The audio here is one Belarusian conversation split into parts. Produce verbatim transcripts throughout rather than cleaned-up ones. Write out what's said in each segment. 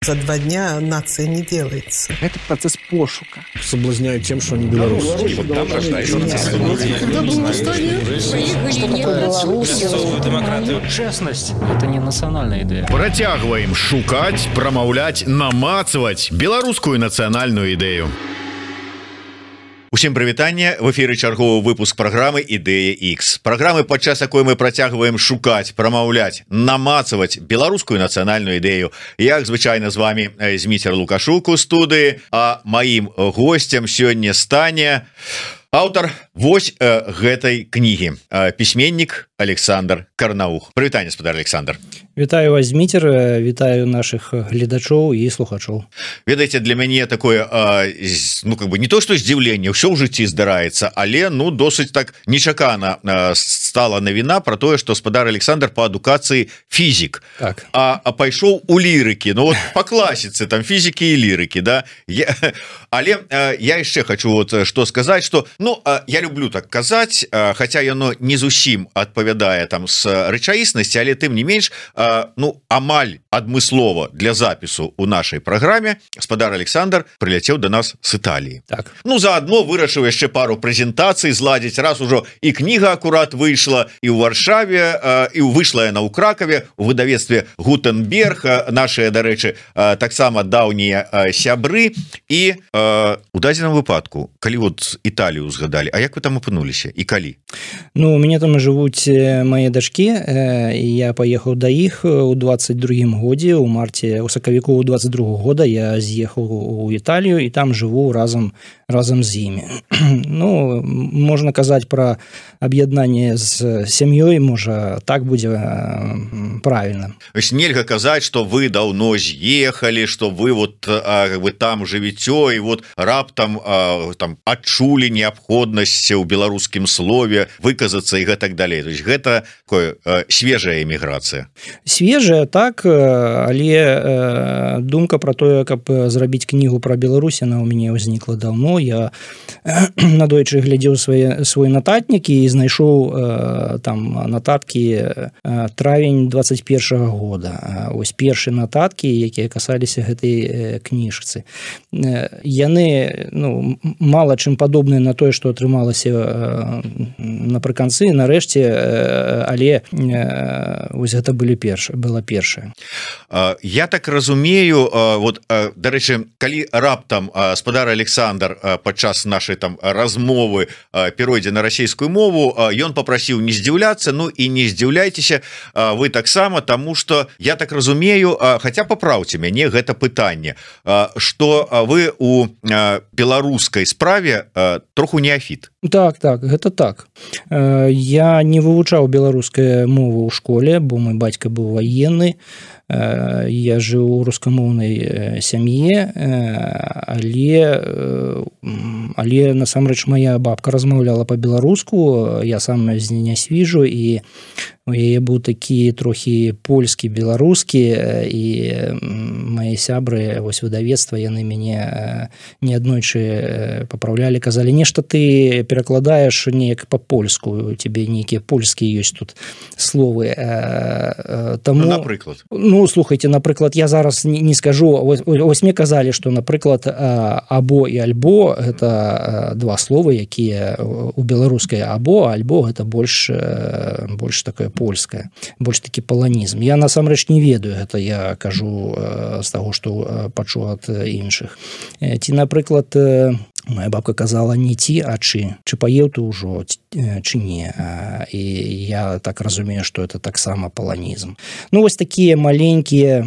За два дня нация не делается. Это процесс пошука. Соблазняют тем, что они белорусы. Вот там рождаются демократию. Честность – это не национальная идея. Працягваем шукать, промаўляць, намацваць беларускую нацыянальную ідэю. Усім прывітанне, в эфіры чарговы выпуск праграмы Ідэя Х. Праграмы, падчас якой мы працягваем шукаць, прамаўляць, намацаваць беларускую нацыянальную ідэю. Як звычайна з вами Зміцер Лукашук у студыі, а маім госцем сёння стане аўтар вось э, гэтай кнігі, э, пісьменнік Александр Карнаух. Прывітанне, спадар Александр. Вітаю вас, Зміцер, вітаю наших гледачоў і слухачоў. Ведаеце, для мяне такое э, ну как бы не то что здзіўленне, ўсё ў жыцці здараецца, але ну досыць так нечакана э, стала навіна про тое, што спадар Александр по адукацыі фізік, так. а, а пайшоў у лірыкі, ну вот по класіцы там фізікі і лірыкі, да. Я, але э, я яшчэ хочу вот что сказаць, что ну э, я люблю так казаць, э, хотя яно не зусім адпавядае там с рэчаіснасці, але тым не менш э, ну амаль адмыслова для запісу у нашай праграме спадар Александр прыляцеў до нас с Італіі. Так. Ну заодно вырашыў яшчэ пару прэзентацый зладзіць, раз ужо і кніга акурат выйшла і ў Варшаве, э, і выйшла яна ў Кракаве у выдавецтве Гутенберг, нашыя, дарэчы, э, таксама даўнія э, сябры. І э, у дадзеным выпадку, калі вот Італію згадалі, а як вы там апынуліся і калі? Ну, у мяне там жывуць мае дачкі, э, я паехаў да іх у двадцать другім годзе, у марце, у сакавіку у двадцать другого года я з'ехаў у Італію і там жыву разам разам з імі. Ну, можна казаць пра аб'яднанне з сям'ёй, можа так будзе правильно. Нельга казаць, што вы даўно з'ехалі, што вы вот а, как бы там жывіцё і вот раптам а, там адчулі неабходнасць у беларускім слове выказацца і гэтак далей. То есть гэта такое а, свежая эміграцыя. Свежая, так, але думка про тое, каб зрабіць кнігу пра Беларусь, она у мяне ўзнікла даўно. Я надойчы глядзеў свой, свой нататнік і знайшоў там нататкі травень двадцать першага года. Ось першыя нататкі, якія касаліся гэтай кніжцы. Яны ну, мала чым падобныя на тое, што атрымалася напрыканцы, нарэшце, але ось гэта былі першыя, была першая. Я так разумею, вот, дарэчы, калі раптам спадар Александр падчас нашай там размовы перайдзе на расійскую мову, ён попрасіў не здзіўляцца, ну і не здзіўляйцеся вы таксама, таму што я так разумею, хаця папраўце мяне гэта пытанне, што вы у беларускай справе троху неафіт. Так, так, гэта так. Я не вывучаў беларускую мову ў школе, бо мой бацька быў ваенны. Я жыў у рускамоўнай сям'і, але але насамрэч моя бабка размаўляла па-беларуску, я сам з не свіжу, і у яе быў такі трохі польскі, беларускі, і мае сябры вось выдавецтва, яны мяне неаднойчы папраўлялі, казалі, нешта ты перакладаеш неяк па-польску, у цябе нейкія польскія ёсць тут словы. Таму, ну, напрыклад. Ну, слухайте, напрыклад, я зараз не, не скажу, ось, ось мне казалі, што, напрыклад, або і альбо гэта два словы, якія у беларускай або, альбо гэта больш, больш такое польскае, больш такі паланізм. Я насамрэч не ведаю, гэта я кажу з таго, што пачуў ад іншых. Ці, напрыклад, моя бабка казала не ці, а чы. Чы паеў ты ўжо, чы не. І я так разумею, што это таксама паланізм. Ну, вось такія маленькія,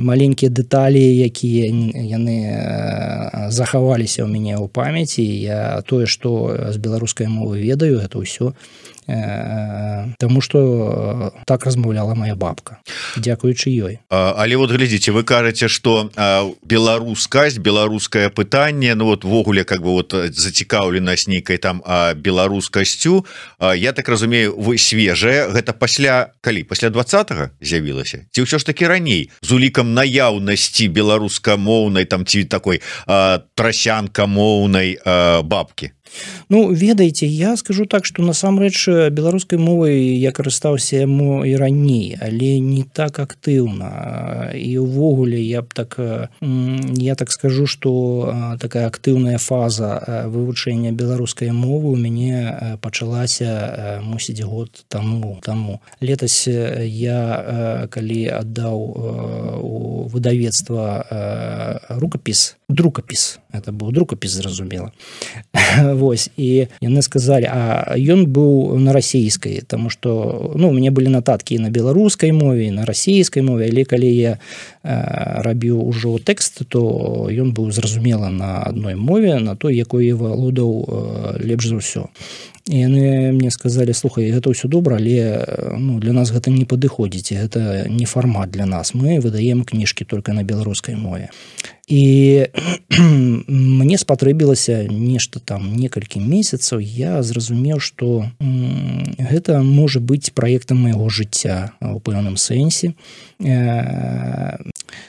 маленькія дэталі, якія яны захаваліся ў мяне ў памяці. Я тое, што з беларускай мовы ведаю, гэта ўсё. Таму што так размаўляла моя бабка, дзякуючы ёй. Але вот глядзіце, вы кажаце, што беларускасць, беларускае пытанне, ну вот ввогуле как бы вот зацікаўленасць нейкай там беларускасцю, я так разумею, вы свежая, гэта пасля калі? Пасля двадцатага з'явілася? Ці ўсё ж такі раней з улікам наяўнасці беларускамоўнай там ці такой трасянкамоўнай бабкі? Ну, ведаеце, я скажу так, што насамрэч беларускай мовай я карыстаўся яму і раней, але не так актыўна. І ўвогуле я б так я так скажу, што такая актыўная фаза вывучэння беларускай мовы у мяне пачалася мусіць год таму таму. Летась я калі аддаў у выдавецтва рукапіс, друкапіс, это быў друкапіс, зразумела. Вось, і яны сказалі, а ён быў на расійскай, таму што ну, у мяне былі нататкі на беларускай мове, на расійскай мове, але калі я рабіў ужо тэкст, то ён быў зразумела на адной мове, на той, якой я валодаў лепш за ўсё. І яны мне сказалі, слухай, гэта ўсё добра, але ну, для нас гэта не падыходзіць, гэта не фармат для нас, мы выдаем кніжкі толькі на беларускай мове. І мне спатрэбілася нешта там некалькі месяцаў, я зразумеў, што гэта можа быць праектам майго жыцця у пэўным сэнсе.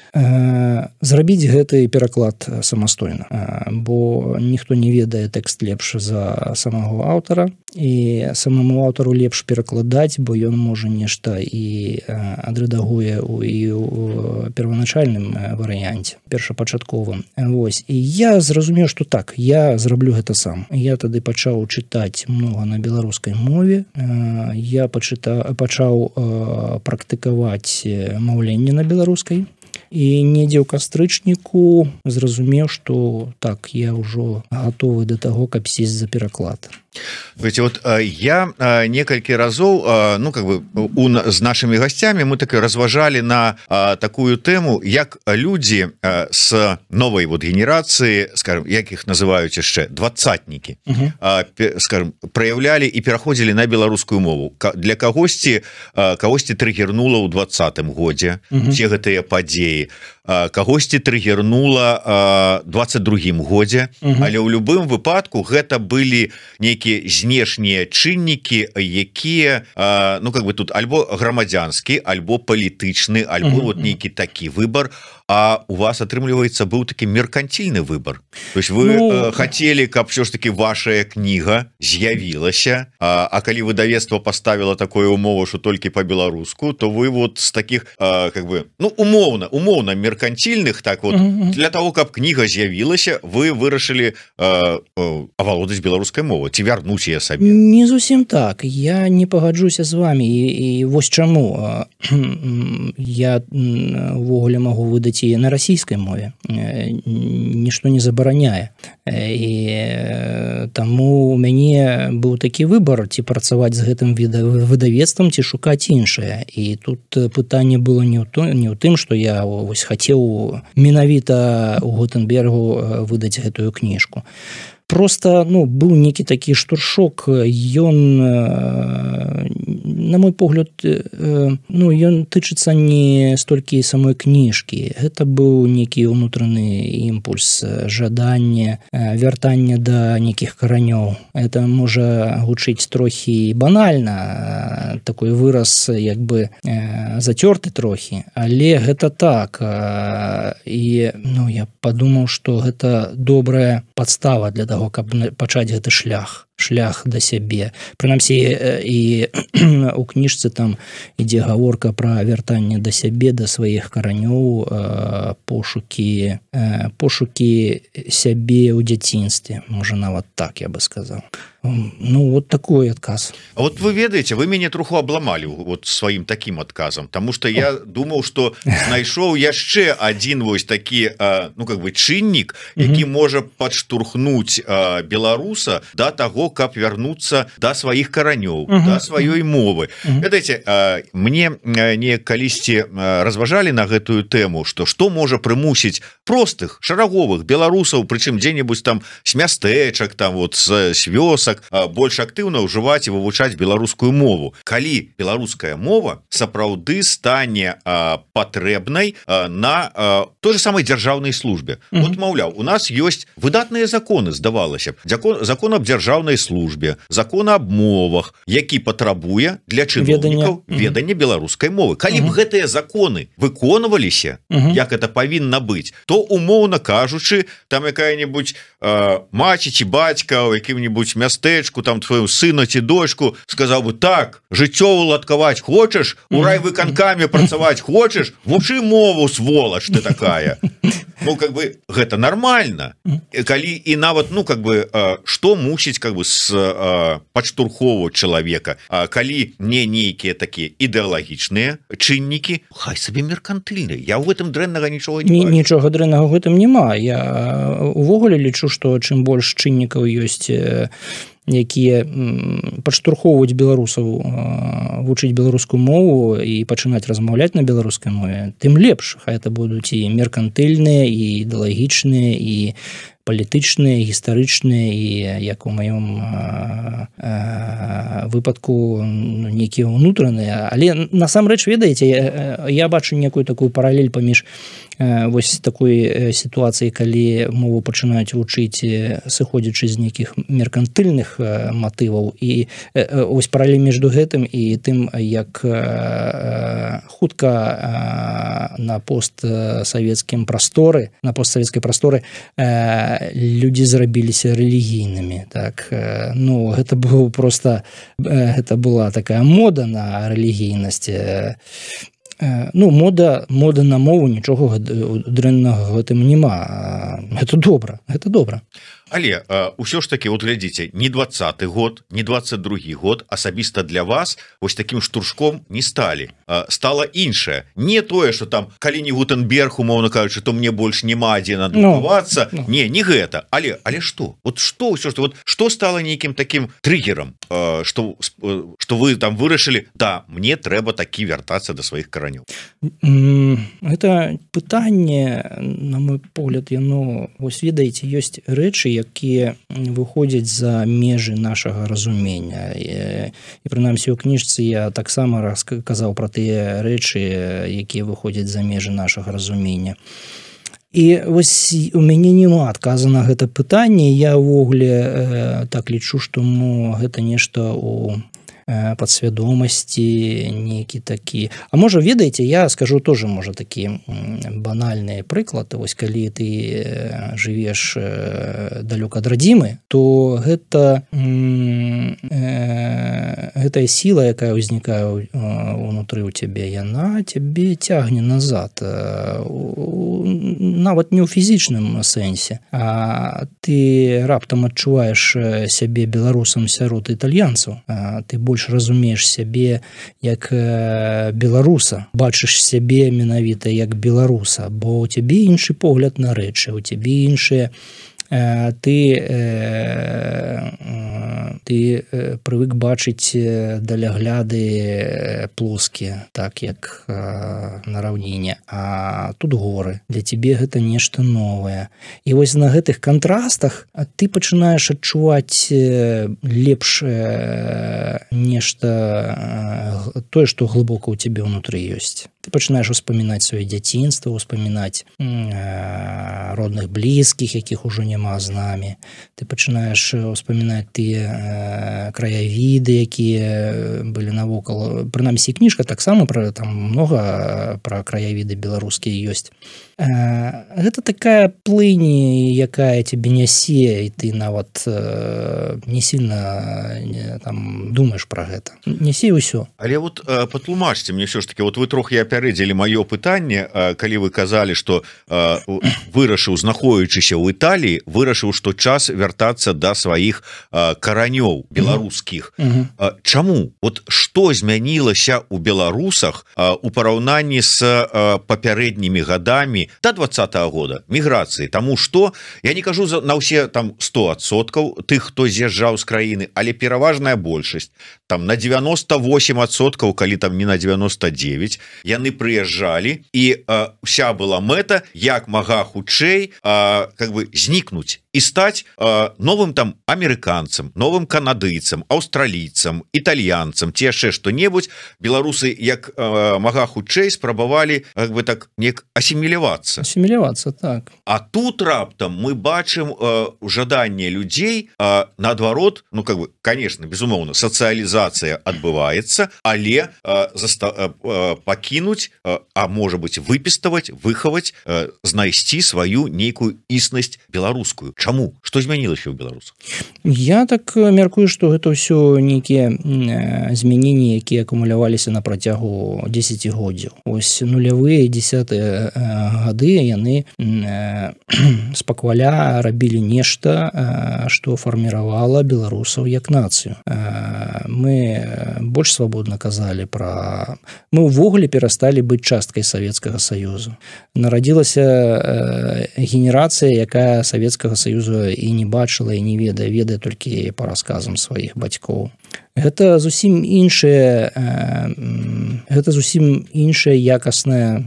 Зрабіць гэты пераклад самастойна, бо ніхто не ведае тэкст лепш за самого аўтара, і самому аўтару лепш перакладаць, бо ён можа нешта і адрэдагуе і ў перваначальным варыянце, першапачатковым. Вось. І я зразумеў, што так, я зраблю гэта сам. Я тады пачаў чытаць многа на беларускай мове, я пачыта, пачаў практыкаваць маўленне на беларускай, і недзе ў кастрычніку зразумеў, што так, я ўжо гатовы да таго, каб сесть за пераклад. Видите, вот я некалькі разоў, ну как бы у, з нашими гостями мы так и разважали на такую тему, як люди с новой вот генерации, скажем, як их называют еще двадцатники, угу. скажем, проявляли и переходили на белорусскую мову. Для кагосьці кагосьці триггернула ў двадцатым годзе угу. все гэтыя падзеі, кагосьці триггернула двадцать другім годзе, угу. але ў любым выпадку гэта былі нейкія знешнія чыннікі, якія ну как бы тут альбо грамадзянскі, альбо палітычны, альбо угу. вот нейкі такі выбор. А у вас, атрымліваецца, быў такі меркантильны выбор. То есть вы ну... хотели, каб все ж таки ваша кніга з'явілася, а, а калі выдавецтва поставила такое умову, что толькі по-беларуску, то вы вот с таких а, как бы ну умоўна умоўна меркантильных, так вот mm-hmm. для того, каб кніга з'явілася, вы вырашылі а, а, авалодаць беларускай мовай, ці вярнуць яе сабе? Не зусім так, я не пагаджуся з вами, і, і вось чаму я увогуле магу выдаць і на расійскай мове, нішто не забараняе, і таму у мяне быў такі выбор, ці працаваць з гэтым выдавецтвам, ці шукаць іншае, і тут пытанне было не ў том, не ў тым, што я вось хацеў менавіта у Гутенбергу выдаць гэтую кніжку. Просто ну быў некі такі штуршок, ён на мой погляд ну ён тычыцца не столькі самой кніжкі, гэта быў некі ўнутраны імпульс, жаданне вяртання да нейкіх каранёў. Это можа гучыць трохі банальна, такой выраз як бы зацёрты трохі, але гэта так, і ну я падумаў, што гэта добрая падстава для таго, каб пачаць гэты шлях шлях да сябе. Прынамсі і у кніжцы там ідзе гаворка пра вяртанне да сябе, да сваіх каранёў, пошукі пошукі сябе ў дзяцінстве, можа нават так я бы сказаў. Ну вот такой адказ. А вот вы ведаеце, вы мяне троху абламалі вот сваім таким адказам, тому что я думаў, что знайшоў яшчэ один вось такі ну как бы чыннік, які угу. можа падштурхнуць беларуса да таго, каб вярнуцца да сваіх каранёў, uh-huh. да сваёй мовы. Uh-huh. Ведаеце, мне не калісьці разважалі на гэтую тэму, што што можа прымусіць простых шараговых беларусаў, прычым дзе-небудзь там з мястэчак, там вот з вёсак больш актыўна ўжываць і вывучаць беларускую мову. Калі беларуская мова сапраўды стане патрэбнай на той же самой дзяржаўнай службе. Uh-huh. Вот, маўляў, у нас ёсць выдатныя законы, здавалася б. Закон, закон аб дзяржаўнай службе, закон аб мовах, які патрабуе для чыноўнікаў ведання беларускай мовы. Калі б гэтыя законы выконваліся, як это павінна быць, то умоўна кажучы, там якая-нибудь э, маці ці бацька ў якім-нибудь мястэчку, там твою сына ці дочку сказаў бы: так, жыццё уладкаваць хочаш, у райвыканкаме працаваць хочаш, вучы мову, сволач ты такая. Ну, как бы гэта нормально. Калі і нават, ну, как бы што мусіць как бы с падштурхову чалавека, калі не нейкія такія ідэалагічныя чыннікі, хай сабе меркантыльныя. Я ў гэтым дрэннага нічога не бачу. Нічога дрэннага ў гэтым няма. Я увогуле лічу, што чым больш чыннікаў ёсць, якія падштурхоўваюць беларусаў вучыць беларускую мову і пачынаць размаўляць на беларускай мове, тым лепш. Хай это будуць і меркантыльныя, і ідэалагічныя, і палітычныя, гістарычныя, і як у маём выпадку нейкія ўнутраныя. Але насамрэч, ведаеце, я, я бачу некую такую паралель паміж вось такой сітуацыі, калі мову пачынаюць вучыць, сыходзячы з нейкіх меркантыльных матываў, і вось паралель між гэтым і тым, як хутка на постсавецкім прасторы, на постсавецкай прасторы людзі зрабіліся рэлігійнымі. Так, ну, гэта было просто, гэта была такая мода на рэлігійнасць. Ну, мода, мода на мову, нічога дрэннага в гэтым няма. Гэта добра, гэта добра. Але ўсё ж таки, вот глядзіце, не двадцаты год, не двадцать другі год асабіста для вас вось таким штуршком не сталі. Стала іншае. Не тое, что там, калі не Гутенберг, умоўна кажучы, то мне больш няма дзе надрукавацца. No, no. Не, не гэта. Але, але што? Вот што ўсё, што, вот, што стала нейкім таким триггером, што, што вы там вырашылі: да, мне трэба такі вяртацца да сваіх каранёў? Гэта пытанне, на мой погляд, яно, вось ведаеце, ёсць рэчы, якія выходзяць за межы нашага разумення. І, і прынамсі, у кніжцы я таксама расказаў пра тыя рэчы, якія выходзяць за межы нашага разумення. І вось у мяне няма адказа на гэта пытанне. Я ўвогуле э, так лічу, што ну, гэта нешта у подсвядомасці нейкі такі. А можа, ведаеце, я скажу тоже, можа, такі банальны прыклад. Вось калі ты жывеш далёка ад радзімы, то гэта э, гэтая сіла, якая ўзнікае ўнутры ў цябе, яна цябе цягне назад. Нават не ў фізічным сэнсе. А ты раптам адчуваеш сябе беларусам сярод італьянцаў. Ты больш разумееш сябе як беларуса, бачыш сябе менавіта як беларуса, бо у цябе іншы погляд на рэчы, у цябе іншыя ты ты прывык бачыць далягляды плоскія, так як на раўніне, а тут горы. Для цябе гэта нешта новае. І вось на гэтых кантрастах ты пачынаеш адчуваць лепш нешта тое, што глыбока ў цябе ўнутры ёсць. Ты пачынаеш успамінаць сваё дзяцінства, успамінаць родных блізкіх, якіх ужо няма з намі. Ты пачынаеш успамінаць тыя краявіды, якія былі навокал. Прынамсі, кніжка таксама пра, там многа пра краявіды беларускія ёсць. Гэта такая плынь, якая цябе нясе, і ты нават не сильно там думаеш пра гэта. Нясе ўсё. Але вот патлумачце мне ўсё ж таки, вот вы трохі апярэдзілі маё пытанне, калі вы казалі, што вырашыў, знаходзячыся ў Італіі, вырашыў, што час вяртацца да сваіх каранёў беларускіх. Mm-hmm. Чаму? Вот што змянілася ў беларусах у параўнанні з папярэднімі гадамі до двадцатого года міграцыі? Таму што я не кажу на ўсе там сто адсоткаў тых, хто з'язджаў з краіны, але пераважная большасць, там на девяносто восемь адсоткаў, калі там не на девяносто девять, яны прыязджалі, і а, вся была мэта як мага хутчэй а, как бы знікнуць і стаць э, новым там амерыканцам, новым канадыйцам, аўстралійцам, італьянцам ці яшчэ што-небудзь. Беларусы як э, мага хутчэй спрабавалі як бы так неяк асімілявацца асімілявацца так. А тут раптам мы бачым э, жаданне людзей э, наадварот, ну как бы конечно безумоўна сацыялізацыя адбываецца, але э, заста, э, пакінуць э, а можа быть выпіставаць, выхаваць, э, знайсці сваю нейкую існасць беларускую. Чаму? Што змянілася ў беларусах? Я так мяркую, што гэта ўсё нейкія змяненні, якія акумуляваліся на працягу дзесяцігоддзяў. Ось нулявыя дзесятыя гады яны спакваля рабілі нешта, што фарміравала беларусаў як нацыю. Мы больш свабодна казалі пра... Мы ўвогуле перасталі быць часткай Савецкага Саюзу. Нарадзілася генерацыя, якая Савецкага Саюзу і не бачыла, і не ведае, ведае толькі па расказам сваіх бацькоў. Гэта зусім іншая, гэта зусім іншая якасная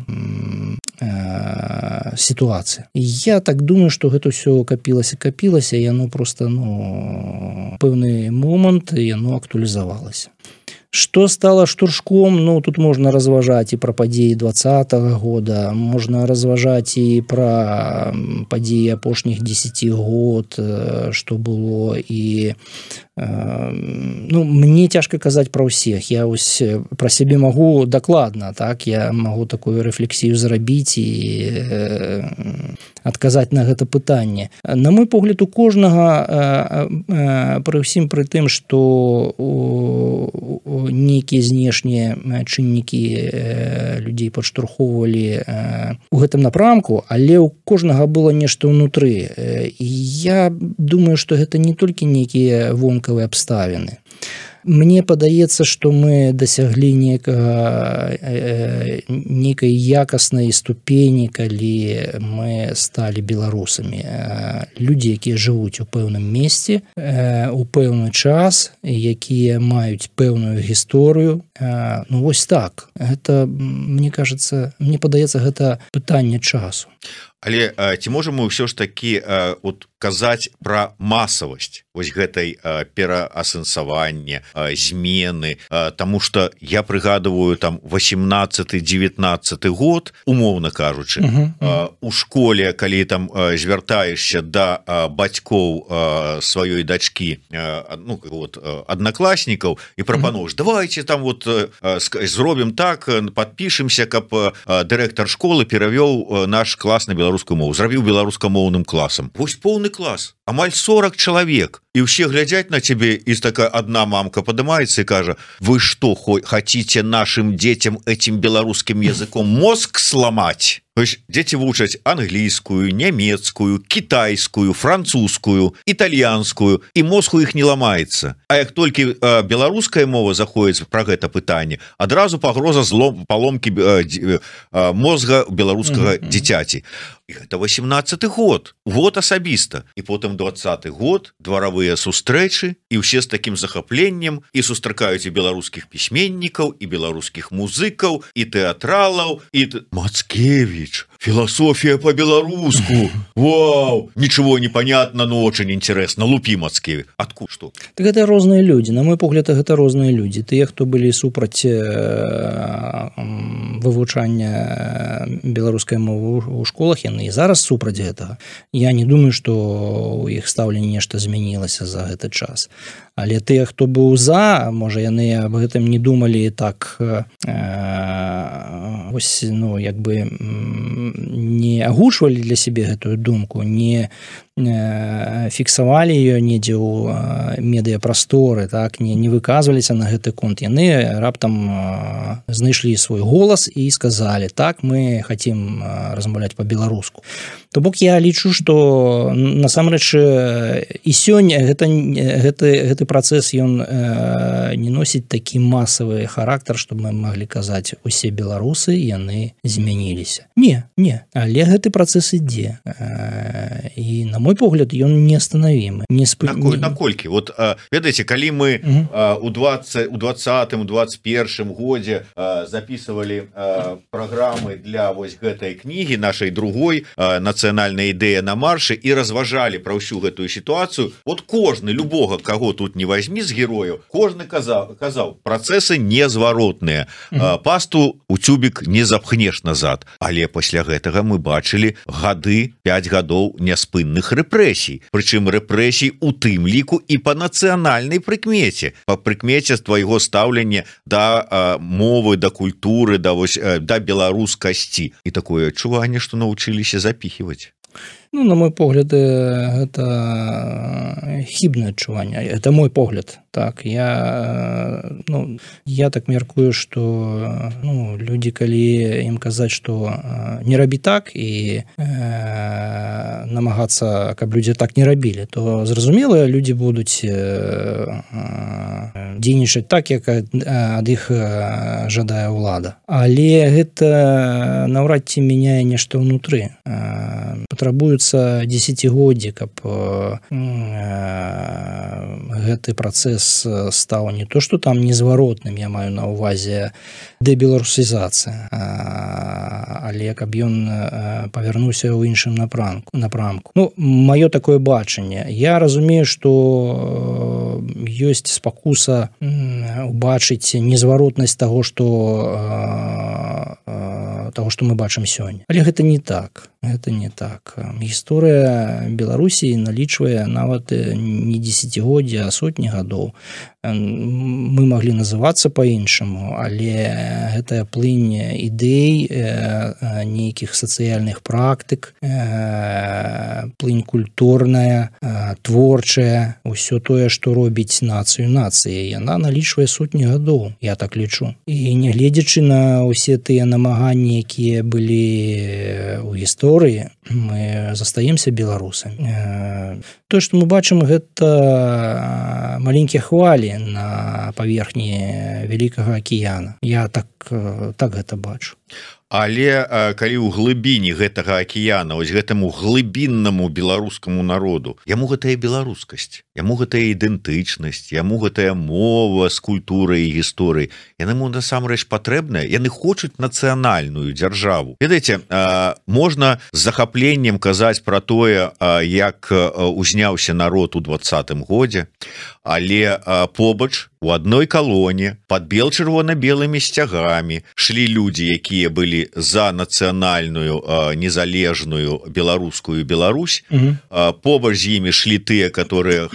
сітуацыя. Я так думаю, што гэта ўсё капілася, капілася, яно просто, ну, пэўны момант яно актуалізавалася. Што стала штуршком? Ну, тут можна разважаць і пра падзеі двадцатага года, можна разважаць і пра падзеі апошніх дзесяці год, што было, і ну, мне цяжка казаць пра ўсіх. Я ось пра сябе магу дакладна, так, я магу такую рэфлексію зрабіць і адказаць на гэта пытанне. На мой погляд, у кожнага пры ўсім пры тым, што нейкія знешнія чыннікі людзей падштурхоўвалі у гэтым напрамку, але ў кожнага было нешта ўнутры. І я думаю, што гэта не толькі нейкія вонкавыя абставіны. Мне падаецца, што мы дасяглі некага, некай якаснай ступені, калі мы сталі беларусамі. Людзі, якія жывуць у пэўным месцы, у пэўны час, якія маюць пэўную гісторыю. Ну, вось так. Гэта, мне кажется, мне падаецца, гэта пытанне часу. Але ці можам мы ўсё ж такі от казаць пра масавасць вось гэтай пераасэнсавання, змены, таму што я прыгадываю там восемнадцаты дзевятнаццаты год, умоўна кажучы, uh-huh, uh-huh. у школе, калі там звяртаешся да бацькоў сваёй дачкі, ну вот аднакласнікаў і прапануеш, давайте там вот зробім так, падпішемся, каб дырэктар школы перавёў наш клас на беларускую беларускую мову, зрабіў беларускамоўным класам. Вось поўны клас, амаль сорок чалавек, і ўсе глядзяць на цябе, і такая адна мамка падымаецца і кажа: вы што, хотите нашим детям этим беларускім языком мозг сломать? Дзеці вучаць англійскую, нямецкую, кітайскую, французскую, італьянскую, і мозг у іх не ламаецца. А як толькі беларуская мова заходзіць пра гэта пытанне, адразу пагроза злом паломкі мозга беларускага mm-hmm. дзіцяці. І гэта восемнадцаты год, год асабіста. І потым двадцаты год, дваравыя сустрэчы, і ўсе з такім захапленнем і сустракаюць і беларускіх пісьменнікаў, і беларускіх музыкаў, і тэатралаў, і Мацкевич, философия по-белоруску. Вау! Ничего не понятно, но очень интересно. Лупи, Мацкевич. Откуда что? Так это розные люди. На мой погляд, это розные люди. Тыя, хто былі супраць вывучання беларускай мовы ў школах, яны і зараз супраць гэтага. Я не думаю, што у іх стаўленне нешта змянілася за гэты час. Але тыя, хто быў за, можа, яны аб гэтым не думалі так, э, ось, ну, як бы не агучвалі для сябе гэтую думку, не э, фіксавалі ее недзе ў э, медыяпрасторы, так, не, не выказваліся на гэты конт. Яны раптам э, знайшлі свой голас і сказалі: так, мы хотим э, размаўляць по-беларуску. То бок я лічу, што насамрэч і сёння гэта, гэты, гэты працэс ён э, не носіць такі масавы характар, што мы маглі казаць, усе беларусы яны змяніліся. Не, не, але гэты працэс ідзе. Э, і на мой погляд ён неостановимы не сп... Наколь, наколькі вот ведаеце калі мы у двадцать у двадцатым двадцать первым годзе записывали программы для вось гэтай кнігі нашай другой нацыянальная ідэя на маршы і разважалі пра ўсю гэтую сітуацыю вот кожны любога кого тут не возьми з герояў кожны казаў казаў працэсы незваротныя пасту у цюбік не запхнеш назад але пасля гэтага мы бачылі гады пять гадоў няспынных рэпрэсій прычым рэпрэсій у тым ліку і по нацыянальнай прыкмеце по прыкмеце твайго стаўлення да мовы да культуры да вось да беларускасці і такое адчуванне што навучыліся запіхиваць. Ну, на мой погляд, это хибное адчуванне. Это мой погляд. Так, я, ну, я так меркую, что ну, люди, калі им казаць, что не рабі так и э, намагацца, каб люди так не рабілі, то зразумела, люди будуць э, э, дзейнічаць так, як ад іх жадае ўлада. Але гэта наўрад ці мяняе нешта ўнутры. Э, патрабуецца десятгоддзі, каб э, гэты працэс стаў не то, што там незваротным, я маю на ўвазе дэбеларусізацыя, але каб ён павярнуўся ў іншым напрамку. напрамку. Ну, маё такое бачанне. Я разумею, што ёсць спакуса убачыць незваротнасць таго, што таго, што мы бачым сёння. Але гэта не так. Гэта не так. Гісторыя Беларусі налічвае нават не дзесяцігоддзя, а сотні гадоў. Мы маглі называцца па-іншаму, але гэтая плынь ідэй, нейкіх сацыяльных практык, плынь культурная, творчая, усё тое, што робіць нацыю нацыяй, яна налічвае сотні гадоў, я так лічу. І нягледзячы на ўсе тыя намаганні, якія былі ў гісторыі, мы застаемся беларусамі. Тое, што мы бачым, гэта маленькія хвалі на паверхні вялікага акіяна. Я так, так гэта бачу. Але калі ў глыбіні гэтага акіяна, ось гэтаму глыбіннаму беларускаму народу, яму гэтая беларускасць, яму гэтая ідэнтычнасць, яму гэтая мова з культурай і гісторыяй, яму насамрэч патрэбная, яны хочуць нацыянальную дзяржаву. Ведаеце, можна з захапленнем казаць пра тое, як узняўся народ у двадцатым годзе, але побач у адной калоне пад бел-чырвона-белымі сцягамі шлі людзі, якія былі за нацыянальную незалежную беларускую Беларусь. Угу. Побач з імі шлі тыя, которые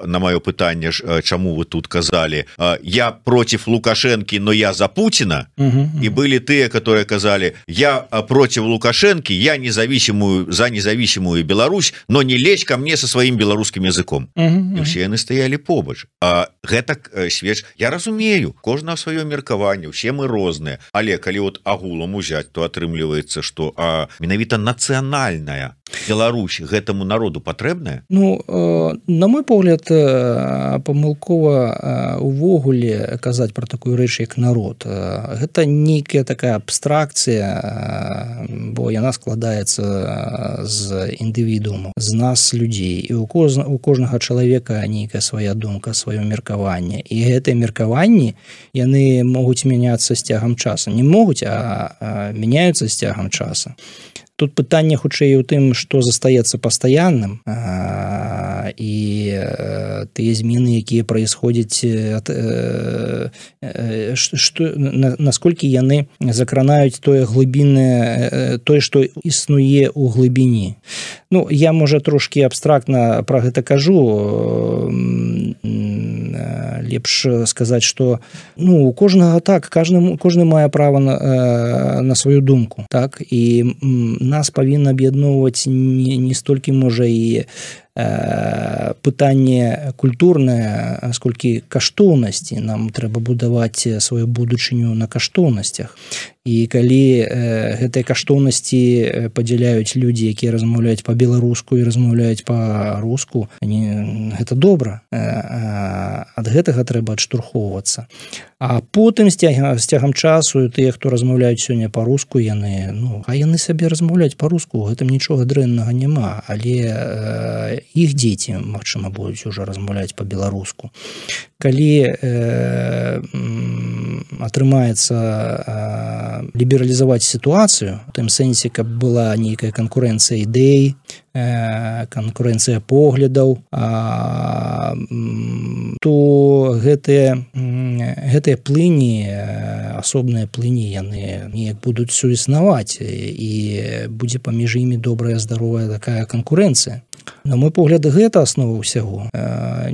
на маё пытанне, чаму вы тут казалі, я против Лукашэнкі, но я за Путина. Угу. І былі тыя, которые казалі, я против Лукашэнкі, я независимую за независимую Беларусь, но не лезь ко мне со сваім беларускім языком. Угу. І ўсе яны стаялі побач. А гэта свеч, я разумею, кожна сваё меркаванне, усе мы розныя, але калі вот агулам узяць, то атрымліваецца, што а, менавіта нацыянальная Беларусь гэтаму народу патрэбная? Ну, э, на мой погляд, э, памылкова э, увогуле казаць пра такую рэч, як народ. Э, гэта нейкая такая абстракцыя, э, бо яна складаецца з індывідууму, з нас, людзей. І у, коз, у кожнага чалавека нейкая свая думка, сваё меркаванне. І гэтыя меркаванні, яны могуць мяняцца з цягам часу. Не могуць, а, а мяняюцца з цягам часу. Тут пытанне хутчэй у тым, што застаецца пастаянным, а, і а, тыя змены, якія праисходзяць, а, а, што, на, насколькі яны закранаюць тое глыбіннае, тое, што існуе ў глыбіні. Ну, я, можа, трошкі абстрактна пра гэта кажу, лепш сказаць, што ну, у кожнага так, кожны, кожны мае права на, на сваю думку, так, і нас павінна аб'ядноўваць не, не столькі, можа, і э, пытанне культурнае, сколькі каштоўнасці. Нам трэба будаваць сваю будучыню на каштоўнасцях. І калі э, гэтыя каштоўнасці падзяляюць людзі, якія размаўляюць па-беларуску і размаўляюць па-руску, гэта добра. Э, ад гэтага трэба адштурхоўвацца. А потым з цягам часу тыя, хто размаўляюць сёння па-руску, яны, ну, а яны сабе размаўляюць па-руску, гэтым нічога дрэннага няма, але э, іх дзеці, магчыма, будуць ужо размаўляць па-беларуску. Калі э, атрымаецца э, лібералізаваць сітуацыю, у тым сэнсе, каб была нейкая канкурэнцыя ідэй, э, канкурэнцыя поглядаў, а, то гэтыя, гэтыя плыні, асобныя плыні, яны неяк будуць суіснаваць, і будзе паміж імі добрая, здаровая такая канкурэнцыя. На мой погляд, гэта аснова ўсяго.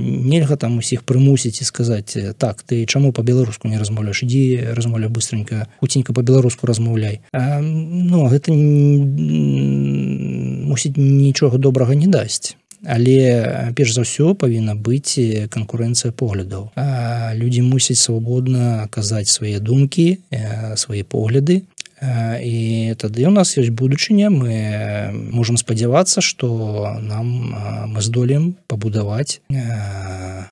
Нельга там усіх прымусіць і сказаць: так, ты чаму па-беларуску не размаўляеш? Ідзі, размаўляй быстренька, хуценька па-беларуску размаўляй. Ну, гэта мусіць нічога добрага не дасць. Але перш за ўсё павінна быць канкурэнцыя поглядаў. Людзі мусяць свабодна казаць свае думкі, свае погляды. І тады у нас ёсць будучыня, мы можам спадзявацца, што нам мы здолеем пабудаваць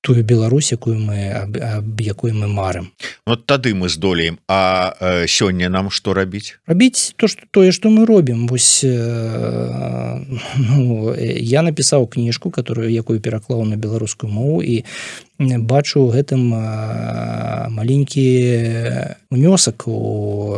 тую Беларусь, якую мы, аб якой мы марым. Вот тады мы здолеем. А сёння нам што рабіць? Рабіць то, што, тое, што мы робім. Вось, ну, я напісаў кніжку, которую, якую пераклаў на беларускую мову, і бачу гэтым маленькі унёсак у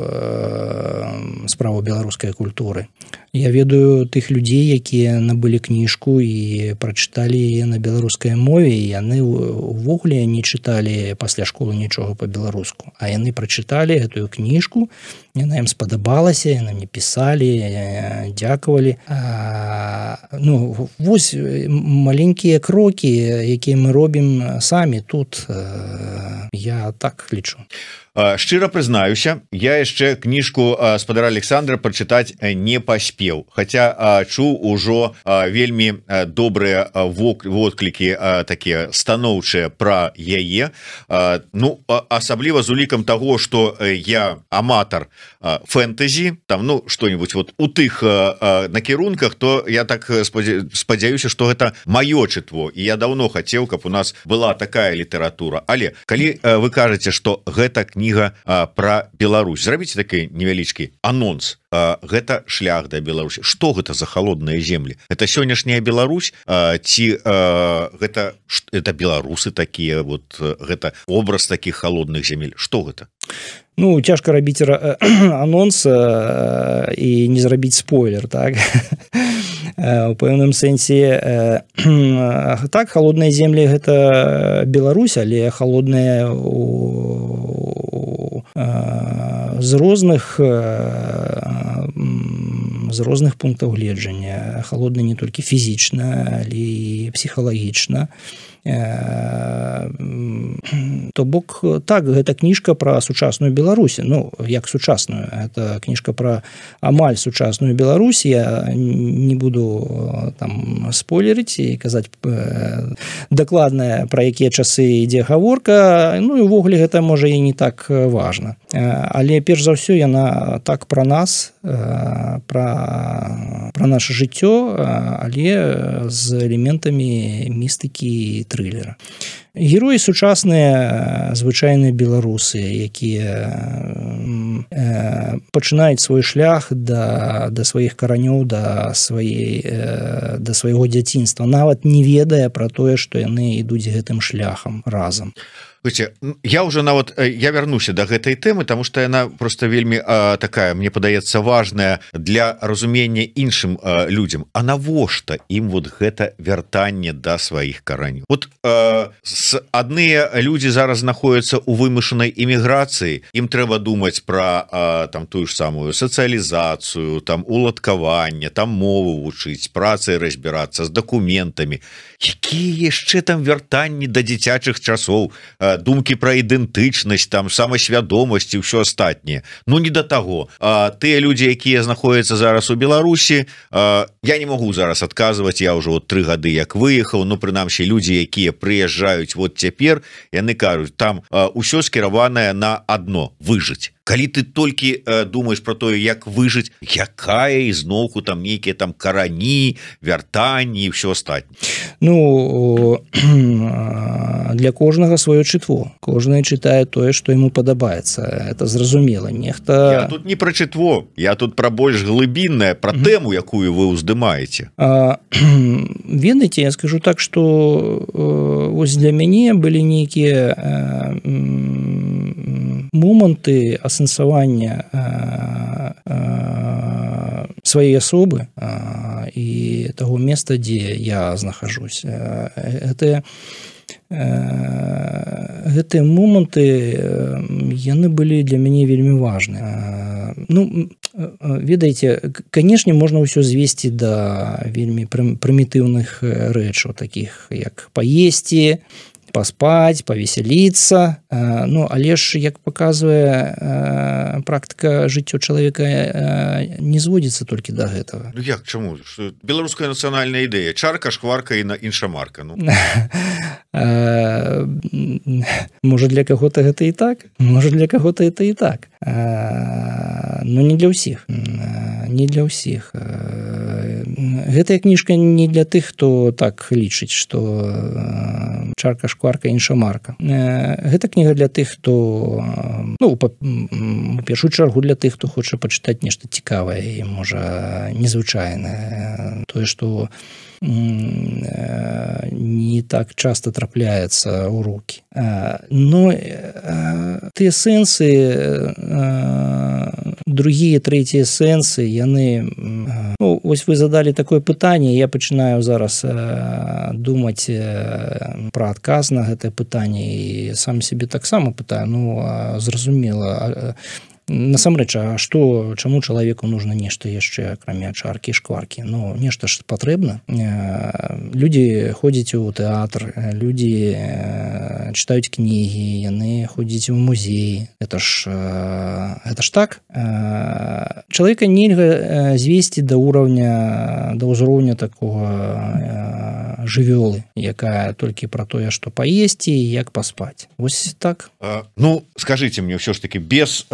справу беларускай культуры. Я ведаю тых людзей, якія набылі кніжку і прачыталі яе на беларускай мове, і яны увогуле не чыталі пасля школы нічога па-беларуску. А яны прачыталі гэтую кніжку, яна ім спадабалася, яны мне пісалі, дзякавалі. А, ну, вось маленькія крокі, якія мы робім самі тут, я так лічу. Шчыра прызнаюся, я яшчэ кніжку спадара Александра прачытаць не паспеў, хаця чуў ужо вельмі добрыя водклікі такія станоўчыя пра яе. Ну, асабліва з улікам таго, што я аматар фэнтэзі, там, ну, што-нибудь вот у тых накірунках, то я так спадзяюся, што гэта маё чытво, і я даўно хацеў, каб у нас была такая літаратура. Але калі вы кажаце, што гэта кніга про Беларусь, зрабіце такі невялічкі анонс. Гэта шлях да Беларусі. Што гэта за холодныя землі? Это сённяшняя Беларусь ці гэта это беларусы такія, вот гэта образ такіх холодных земель? Што гэта? Ну, цяжка рабіць анонс і не зрабіць спойлер, так? У пэўным сэнсе так, холодныя землі гэта Беларусь, але холодныя з розных з розных пунктаў гледжання. Холодна не толькі фізічна, але і псіхалагічна. То бок, так, гэта кніжка пра сучасную Беларусь. Ну, як сучасную, гэта кніжка пра амаль сучасную Беларусь. Я не буду там спойлерыць і казаць дакладна, пра якія часы ідзе гаворка. Ну, і ўвогуле гэта можа і не так важна. Але перш за ўсё яна так пра нас, пра, пра наша жыццё, але з элементамі містыкі і трылера. Героі сучасныя, звычайныя беларусы, якія пачынаюць свой шлях да, да сваіх каранёў, да, сваей, да свайго дзяцінства, нават не ведае пра тое, што яны ідуць гэтым шляхам разам. Слушайте, я уже нават я вярнуся до гэтай тэмы, потому что яна просто вельмі а, такая, мне падаецца, важная для разумення іншым а, людям. А навошта ім вот гэта вяртанне да сваіх каранёў? Вот а, с адныя людзі зараз знаходзяцца ў вымышанай эміграцыі, ім трэба думаць пра а, там тую ж самую сацыялізацыю, там уладкаванне, там мову вучыць, працай разбірацца з дакументамі. Якія яшчэ там вяртанні да дзіцячых часоў, думкі пра ідэнтычнасць, там самасвядомасць і ўсё астатняе. Ну, не да таго. А, тыя людзі, якія знаходзяцца зараз у Беларусі, а, я не магу зараз адказваць, я ўжо вот тры гады як выехаў, ну, прынамсі, людзі, якія прыязджаюць вот цяпер, яны кажуць, там а, усё скіраванае на адно — выжыць. калі ты толькі э, думаешь про тое як выжыць, якая ізноўку там нейкія там карані, вяртанні і все астатніе. Ну для кожнага сваё чытво, кожны чытае тое што яму падабаецца, это зразумела. Нехта Я тут не пра чытво, я тут пра больш глыбіннае, пра mm-hmm. тэму, якую вы ўздымаеце. Ведаеце, я скажу так, што вось для мяне былі нейкія моманты асэнсавання сваёй асобы і таго места, дзе я знахажусь. Гэта гэтыя моманты яны былі для мяне вельмі важныя. Ну ведаеце, канешне, можна ўсё звесці да вельмі прымітыўных рэчаў, такіх як паесці, паспаць, павесяліцца. Ну, але ж, як паказвае практыка жыццё чалавека, не зводзіцца толькі да гэтага. Ну як, чаму? Беларуская нацыянальная ідэя. Чарка, шкварка і іншамарка. Ну. Можа, для каго-то гэта і так, можа, для каго-то это і так. Но не для ўсіх. Не для ўсіх. Гэтая кніжка не для тых, хто так лічыць, што чарка, шкварка, іншамарка. Гэта кніга для тых, хто, ну, у першую чаргу для тых, хто хоча пачытаць нешта цікавае і, можа, незвычайнае. Тое, што не так часто трапляецца ў рукі. Но тыя сэнсы, другія, трэція сэнсы, яны... Ну, ось вы задалі такое пытанне, я пачынаю зараз думаць пра адказ на гэтае пытанне і сам сябе таксама пытаю, ну, зразумела, насамрэч, а што, чаму чалавеку нужно нешта яшчэ, акрамя чаркі, шкваркі? Ну, нешта ж патрэбна. Людзі ходзяць у тэатр, людзі чытаюць кнігі, яны ходзяць у музей. Это ж, это ж так. Чалавека нельга звесці да ўраўня, да ўзроўня такога жывёлы, якая толькі пра тое, што паесці і як паспаць. Вось так. А, ну, скажыце мне ўсё ж таки, без...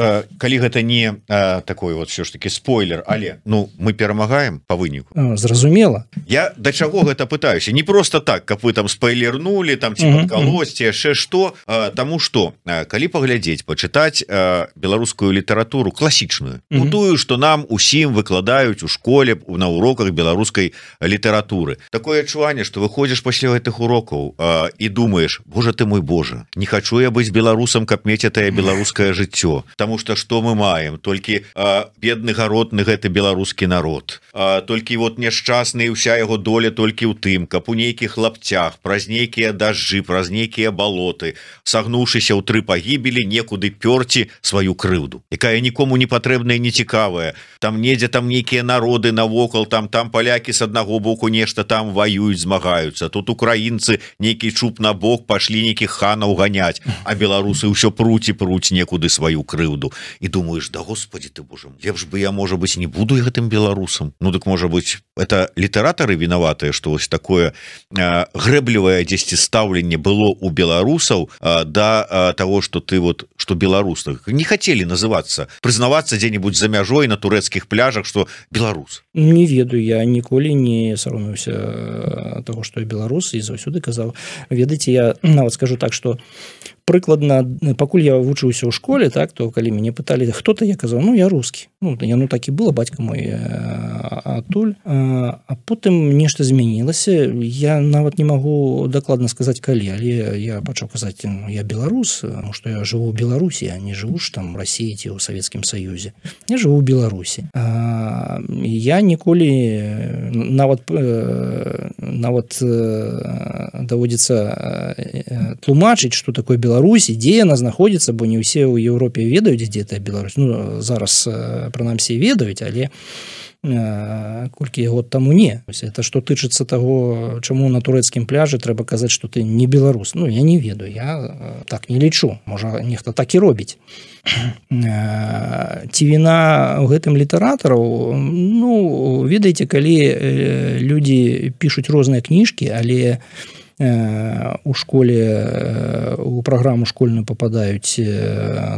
калі гэта не а, такой вот все ж таки спойлер, але ну мы перамагаем по выніку. Зразумела. Я да чаго гэта пытаюся, не просто так, каб вы там спойлернули там ці падкалосці яшчэ што, таму што калі паглядзець, пачытаць а, беларускую літаратуру класічную, ну тую, што нам усім выкладаюць у школе на уроках беларускай літаратуры, такое адчуванне, што выходзіш пасля гэтых урокаў а, і думаеш, боже ты мой боже, не хачу я быць беларусам, каб мець гэтае беларускае жыццё, таму што што мы маем, толькі а, бедны гаротны гэты беларускі народ, а, толькі вот няшчасны і ўся яго доля толькі ў тым, каб у нейкіх лапцях праз нейкія дажджы, праз нейкія балоты, сагнуўшыся ў тры пагібелі, некуды пёрці сваю крыўду, якая нікому не патрэбная, не цікавая. Там недзе там нейкія народы навокал, там там палякі з аднаго боку нешта там ваююць, змагаюцца, тут украінцы нейкі чуб на бок пашлі нейкіх ханаў ганяць, а беларусы ўсё пруць і пруць некуды сваю крыўду. І думаешь, да господи ты боже, лепш бы я, можа быть, не буду гэтым беларусам. Ну так, можа быть, это літаратары вінаватыя, што вось такое э, грэблівае дзесьці стаўленне было у беларусаў э, да э, того, что ты вот, что беларусы не хотели называться, прызнавацца дзе-нибудь за мяжой на турэцкіх пляжах, что беларус. Не ведаю, я ніколі не саромеўся того, что я беларус, і заўсёды казаў. Ведаеце, я нават скажу так, что прыкладна, пакуль я вучыўся ў школе, так, то калі мяне пыталі, хто ты, я казаў, ну я рускі. Ну, я, ну так і было, бацька мой адтуль. А, а потым нешта змянілася. Я нават не магу дакладна сказаць калі, але я пачаў казаць, ну, я беларус, тому што я жыву ў Беларусі, а не жыву ж там у Расіі ці ў Савецкім Саюзе. Я жыву ў Беларусі. А, я ніколі нават нават даводзіцца тлумачыць, што такое Беларусь, Беларусі, дзе яна знаходзіцца, бо не ўсе ў Еўропе ведаюць, дзе гэта Беларусь. Ну, зараз, прынамсі, ведаюць, але колькі год таму не. Это што тычыцца таго, чаму на турэцкім пляжы трэба казаць, што ты не беларус. Ну, я не ведаю, я так не лічу. Можа, нехта так і робіць. Ці віна ў гэтым літаратараў? Ну, ведаеце, калі людзі пішуць розныя кніжкі, але у школе у праграму школьную попадаюць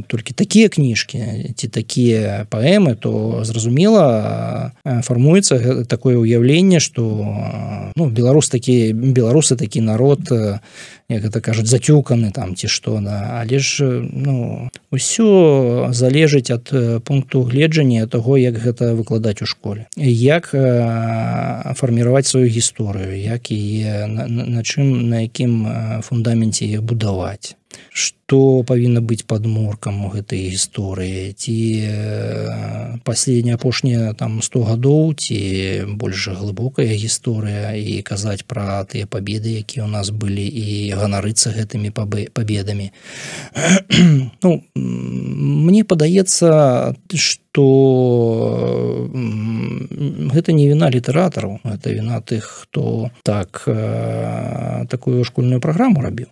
толькі такія кніжкі ці такія паэмы, то зразумела фармуецца такое ўяўленне, што ну, беларус такі беларусы такі народ, як гэта кажуць, зацюканы там ці што, да. Але ж ну, усё залежыць ад пункту гледжання таго, як гэта выкладаць у школе, як фарміраваць сваю гісторыю, як яе на, на чым, на якім фундаменце яе будаваць, што павінна быць падмуркам у гэтай гісторыі, ці паследняя апошняя там сто гадоў, ці больш глыбокая гісторыя, і казаць пра тыя пабеды, якія ў нас былі, і ганарыцца гэтымі пабедамі. Ну, мне падаецца, што гэта не віна літаратараў, гэта віна тых, хто так такую школьную праграму рабіў.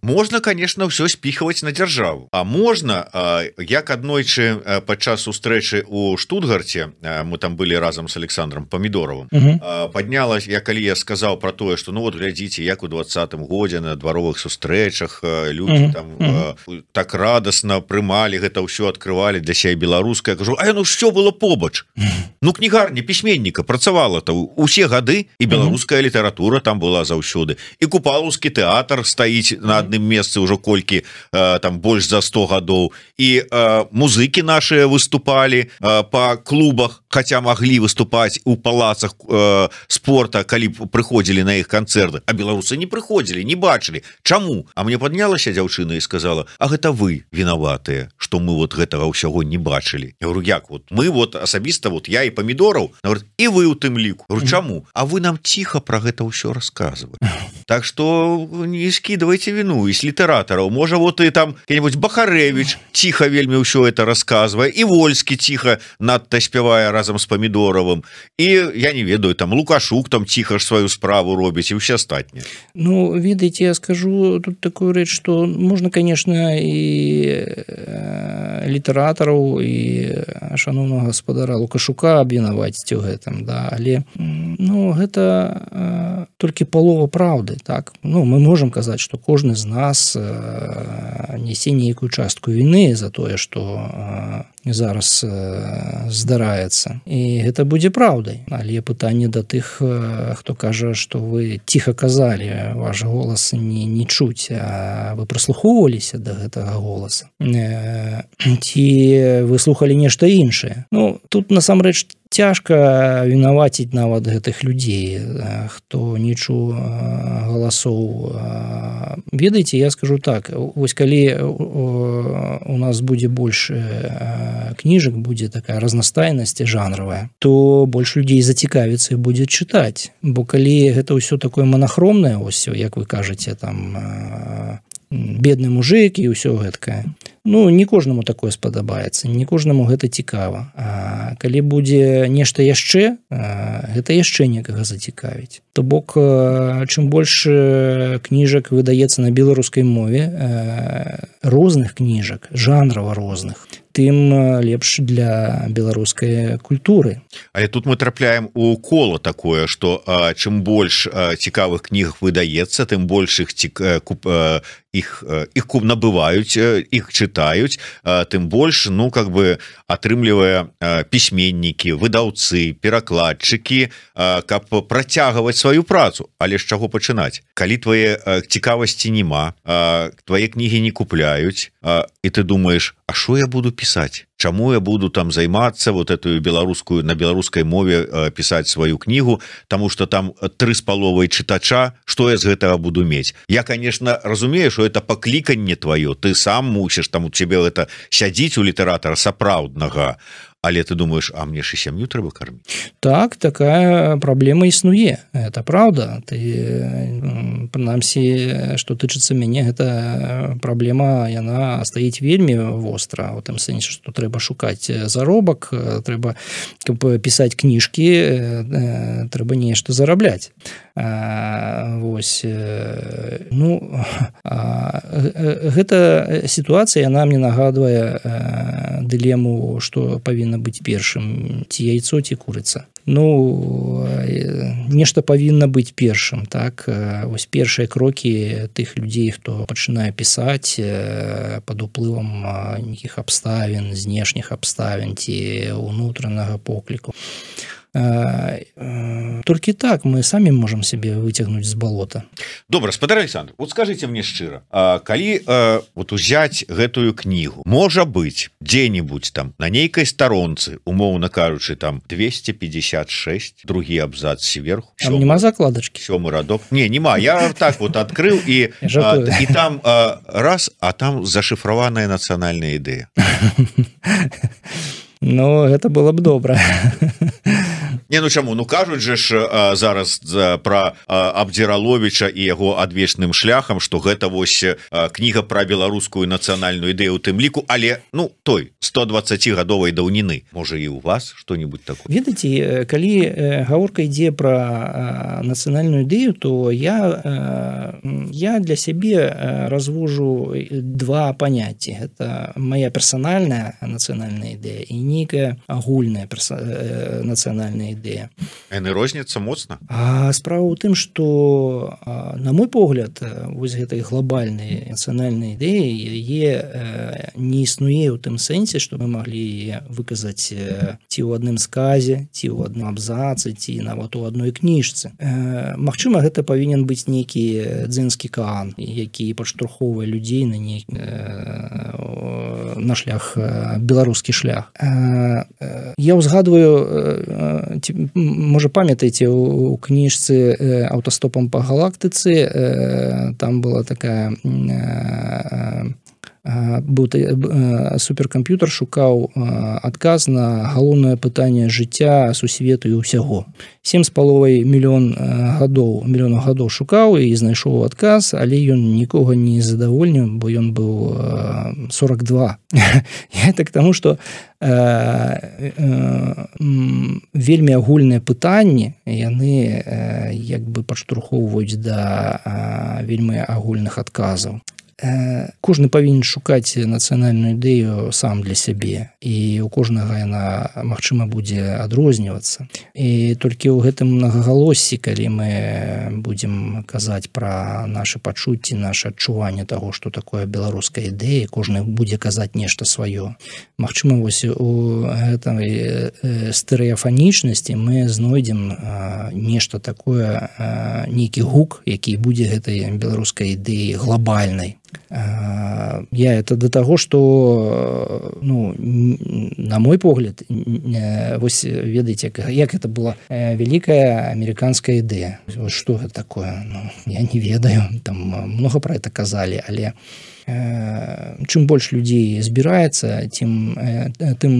Можна, конечно, ўсё спіхаваць на дзяржаву, а можна, як аднойчы падчас сустрэчы у Штутгарце, мы там былі разам с Александром Помидоровым, uh-huh. паднялась, я калі я сказаў про тое, что ну вот глядзіце, як у двадцатым годзе на дваровых сустрэчах людзі uh-huh. там uh-huh. так радасна прымалі гэта ўсё, адкрывалі для сябе беларускае. Кажу, а ну що было побач? Uh-huh. Ну кнігарня пісьменніка працавала-то усе гады, і беларуская uh-huh. літаратура там была заўсёды, і Купалаўскі тэатр стаіць на адным месцы ўжо колькі там больш за сто гадоў, і музыкі нашыя выступалі па клубах, хаця маглі выступаць у палацах спорта, калі б прыходзілі на іх канцэрты, а беларусы не прыходзілі, не бачылі. Чаму? А мне паднялася дзяўчына і сказала, а гэта вы вінаватыя, што мы вот гэтага ўсяго не бачылі. Я говорю, як вот мы вот асабіста вот я і Помидоров, і вы у тым ліку. Говорю, чаму? А вы нам ціха пра гэта ўсё расказвалі. Так што не скидывайте вину из литераторов. Может, вот и там какой-нибудь Бахаревич тихо вельми все это рассказывая, и Вольский тихо надто спевая разом с Помидоровым, и я не ведаю, там Лукашук там тихо свою справу робить, и все остальные. Ну, видите, я скажу тут такую речь, что можно, конечно, и литераторов, и шановного господара Лукашука обвинуватить в этом, да, але ну, это только полова правды, так? Ну, мы можем казать, что кожны з нас несе нейкую частку вины за тое, што зараз здараецца. І гэта будзе праўдай. Але пытанне да тых, хто кажа, што вы ціха казалі, ваш голас не, не чуць, а вы прыслухоўваліся да гэтага голаса. Ці вы слухалі нешта іншае. Ну, тут насамрэч цяжка вінаваціць нават гэтых людзей, хто не чуў галасоў. Ведаеце, я скажу так, вось калі у нас будзе больш кніжак, будзе такая разнастайнасць жанравая, то больш людзей зацікавіцца і будзе чытаць. Бо калі гэта ўсё такое манахромнае, ось, як вы кажаце, там бедны мужик і ўсё гэткае, ну, не кожнаму такое спадабаецца, не кожнаму гэта цікава. А калі будзе нешта яшчэ, гэта яшчэ некага зацікавіць. То бок, чым больш кніжак выдаецца на беларускай мове, розных кніжак, жанрава розных, тым лепш для беларускай культуры. Але тут мы трапляем у кола такое, што чым больш цікавых кніг выдаецца, тым больш іх цік... іх, іх набываюць, іх чытаюць, тым больш, ну, как бы атрымлівае пісьменнікі, выдаўцы, перакладчыкі, каб працягваць сваю працу. Але з чаго пачынаць? Калі твае цікавасці няма, твае кнігі не купляюць, і ты думаеш, а што я буду пісаць? Чаму я буду там займацца вот эту беларускую, на беларускай мове пісаць сваю кнігу, таму што там тры з паловай чытача, што я з гэтага буду мець? Я, конечно, разумею, што это пакліканне тваё, ты сам мусіш, там у цябе гэта сядзіць у літаратара сапраўднага, але ты думаешь, а мне ж і сям'ю трэба карміць? Так, такая праблема існуе, это правда. Ты, прынамсі, што тычыцца мяне, гэта праблема, яна стаіць вельмі востра, у тым сэнсе, што трэба шукаць заробак, трэба, каб пісаць кніжкі, трэба нешта зарабляць. А, вось, ну, а, гэта сітуацыя, яна мне нагадвае дылему, што павінна быць першым, ці яйцо, ці курыца. Ну, нешта павінна быць першым, так, вось першыя крокі тых людзей, хто пачынае пісаць пад уплывам нейкіх абставін, знешніх абставін ці ўнутранага покліку. Толькі так мы самі можам сябе выцягнуць з балота. Добра, спадар Александр, вот скажите мне шчыра, калі вот узяць гэтую кнігу, можа быць дзе-нибудь там на нейкай старонцы, умоўна кажучы, там двести пятьдесят шесть, другі абзац сверху, там нема закладачкі, сёмы радок, не, нема, я так вот открыл и, а, и там а, раз, а там зашифраваная нацыянальная ідэя. Ну, гэта было б добра. Не, ну чаму, ну кажуць же ж а, зараз а, про а, Абдзіраловіча і яго адвечным шляхам, што гэта вось а, кніга пра беларускую нацыянальную ідэю у тым ліку, але ну той стодваццацігадовай даўніны, можа і у вас што-нибудь такое. Ведаеце, калі гаворка ідзе пра нацыянальную ідэю, то я я для сябе развожу два паняцці. Гэта моя персанальная нацыянальная ідэя і нейкая агульная нацыянальная ідэя. Яны розняцца моцна? А справа ў тым, што на мой погляд, вось гэтай глобальнай нацыянальнай ідэі яе не існуе ў тым сэнсе, што мы маглі выказаць ці ў адным сказе, ці ў адным абзацы, ці нават у адной кніжцы. Магчыма, гэта павінен быць нейкі дзенскі каан, які падштурхоўвае людзей на ней на шлях, беларускі шлях. Я ўзгадваю, можа памятаеце, у кніжцы «Аўтастопам па галактыцы» там была такая, быў суперкамп'ютар, шукаў адказ на галоўнае пытанне жыцця, сусвету і ўсяго. сем з паловай мільён гадоў мільёнаў гадоў шукаў і знайшоў адказ, але ён нікога не задавольніў, бо ён быў сорок два. Я так таму, што вельмі агульныя пытанні, яны як бы падштурхоўваюць да вельмі агульных адказаў. Кожны павінен шукаць нацыянальную ідэю сам для сябе, і у кожнага яна, магчыма, будзе адрознівацца. І толькі ў гэтым мнагагалоссі, калі мы будзем казаць пра нашы пачуцці, нашы адчуванне таго, што такое беларуская ідэя, кожны будзе казаць нешта сваё. Магчыма, вось у гэтай стэрэафанічнасці мы знойдзем нешта такое, нейкі гук, які будзе гэтай беларускай ідэі глобальнай. Я это до таго, што ну, на мой погляд, вось ведаеце, як это была вялікая амерыканская ідэя. Што гэта такое? Ну, я не ведаю, там много пра это казалі, але чым больш людзей збіраецца, тым, тым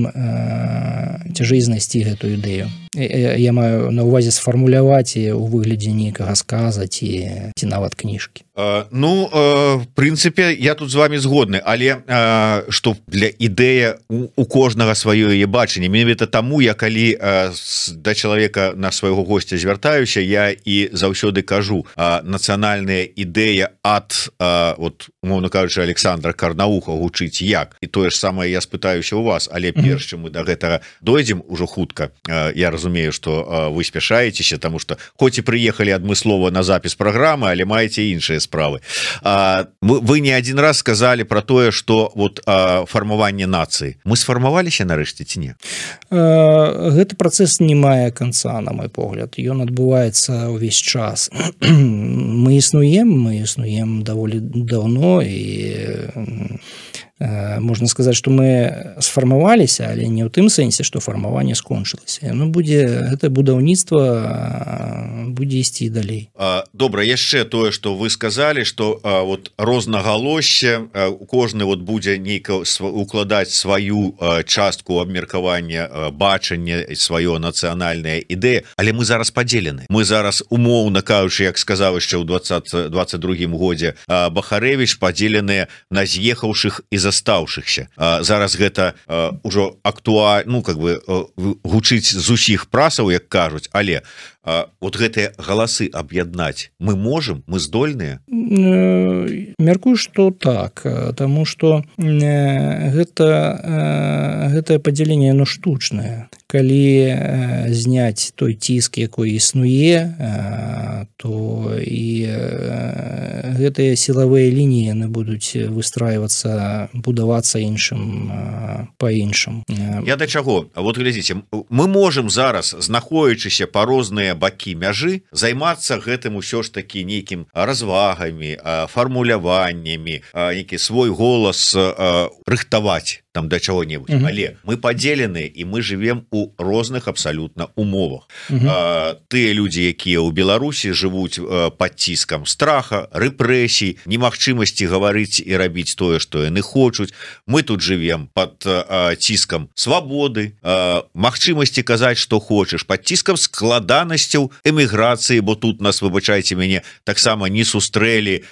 цяжэй знайсці гэтую ідэю. Я маю на ўвазе сфармуляваць у выглядзе нейкага сказа ці, ці нават кніжкі. Uh, ну, uh, в прынцыпе, я тут з вами згодны, але uh, што для ідэя у, у кожнага сваё яе бачанне. Менавіта таму, я калі uh, да чалавека, на свайго госця звяртаюся, я і заўсёды кажу, uh, нацыянальная ідэя ад, uh, вот, умоўна кажучы, Александра Карнауха гучыць як. І тое ж самае я спытаюся у вас, але перш, чым мы да гэтага дойдзем ужо хутка, uh, я разумею, што uh, вы спяшаецеся, таму што хоць і прыехалі адмыслова на запіс праграмы, але маеце іншыя справы. А, мы, вы не один раз сказали про тое, что вот а, фармаванне нацыі. Мы сфармаваліся нарэшце ці не? А, гэты працэс не мае канца, на мой погляд. Ён адбываецца ўвесь час. Мы існуем, мы існуем даволі даўно, і можна сказаць, што мы сфармаваліся, але не ў тым сэнсе, што фармаванне скончылася. Яно будзе, гэта будаўніцтва будзе ісці далей. Добра, яшчэ тое, што вы сказалі, што вот рознагалоссе, кожны вот будзе нейка укладаць сваю частку абмеркавання, бачання, сваё нацыянальная ідэя, але мы зараз падзелены. Мы зараз, умоўна кажучы, як сказаў яшчэ ў двадцать другім годзе Бахарэвіч, падзеленыя на з'ехаўшых і застаўшыхся. Зараз гэта ўжо актуальна, ну, как бы гучыць з усіх прасаў, як кажуць, але вот гэтыя галасы аб'яднаць мы можам, мы здольныя? Мяркую, што так, таму што гэта гэтае падзяленне, яно штучнае. калі э, зняць той ціск, якой існуе, э, то і э, гэтыя сілавыя лініі яны будуць выстрайвацца, будавацца іншым э, па-іншым. Я да чаго? Вот глядзіце, мы можем зараз, знаходзячыся па розныя бакі мяжы, займацца гэтым усё ж такі нейкім развагамі, фармуляваннямі, нейкі свой голас рыхтаваць там да чаго-небудзь. Mm-hmm. Але мы падзелены і мы живем у розных абсалютна умовах. Mm-hmm. Тыя людзі, якія ў Беларусі жывуць пад ціскам страха, рэпрэсій, немагчымасці гаварыць і рабіць тое, што яны хочуць. Мы тут живем пад ціскам свабоды, магчымасці казаць, што хочаш, пад ціскам складанасцяў эміграцыі, бо тут нас, выбачайце мяне, таксама не сустрэлі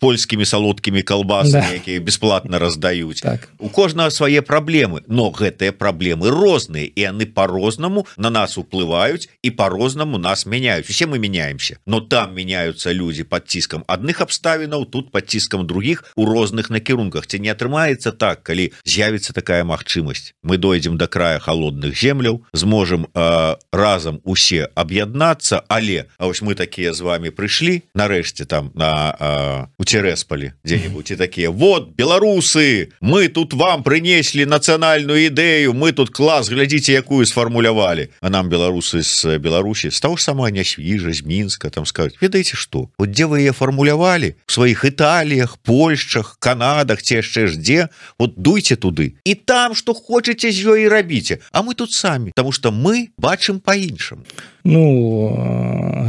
польскімі салодкімі калбасамі, да, якія бесплатна раздаюць. Так. У кожнага свае праблемы, но гэтыя праблемы розныя, і яны по-рознаму на нас уплываюць і по-рознаму нас мяняюць. Усе мы меняемся, но там меняются люди под ціскам адных абставінаў, тут под ціскам других у розных накірунках. Ці не атрымаецца так, калі з'явіцца такая магчымасць, мы дойдзем до края холодных земляў, зможем э, разам усе аб'яднацца, але а вось мы такія з вами прыйшлі нарэшце там на э, у Цересполі дзе-нибудь і такія: вот беларусы, мы тут вам принесли нацыянальную ідэю, мы тут клас, глядзіце, якую сфармулявалі. А нам беларусы з Беларусі, з таго ж сама Нясвіжа, з Мінска, там скажуць: ведаеце што, вот дзе вы яе фармулявалі, в сваіх Італіях, Польшчах, Канадах, ці яшчэ ж дзе, вот дуйце туды і там што хочаце з ёй рабіце, а мы тут самі, потому что мы бачым па-іншаму. Ну,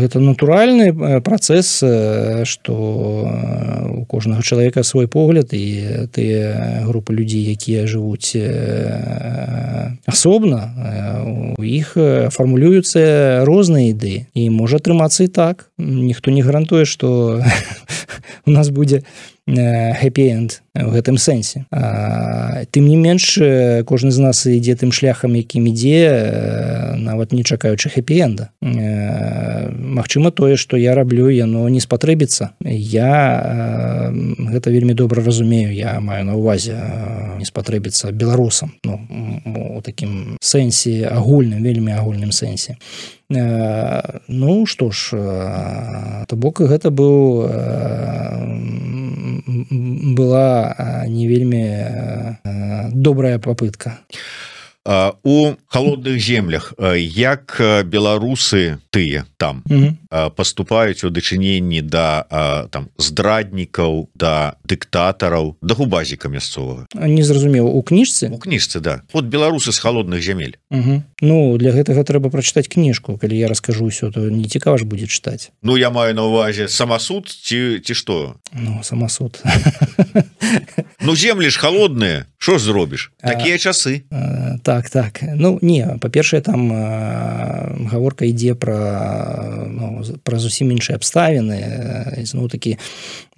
гэта натуральны працэс, што у кожнага чалавека свой погляд, і тыя групы людзей, якія жывуць асобна, у іх фармулююцца розныя ідэі, і можа атрымацца і так. Ніхто не гарантуе, што у нас будзе хэпі-энд в гэтым сэнсе. А, тым не менш, кожны з нас ідзе тым шляхам, якім ідзе, нават не чакаючы хэпі-энда. Магчыма, тое, што я раблю, яно не спатрэбіцца. Я гэта вельмі добра разумею, я маю на ўвазе не спатрэбіцца беларусам, ну, у такім сэнсе агульным, вельмі агульным сэнсе. Ну, што ж, то бок гэта быў была не вельмі добрая попытка. У холодных землях як беларусы тыя там mm-hmm. поступаюць у дачыненні да там здраднікаў, да дыктатараў, да губазіка мясцовага? Не зразумеў, у кніжцы? У кніжцы, да. Вот беларусы з холодных зямель. Mm-hmm. Ну, для гэтага трэба прачытаць кніжку. Калі я раскажу ўсё, то не цікава ж будзе чытаць. Ну, я маю на ўвазе самасуд ці, ці што? Ну, самасуд. Ну, землі ж холодныя, што ж зробіш? Такія часы. Так, так. Ну, не, па-першае, там э, гаворка ідзе пра, ну, пра зусім іншыя абставіны. Зноў такі,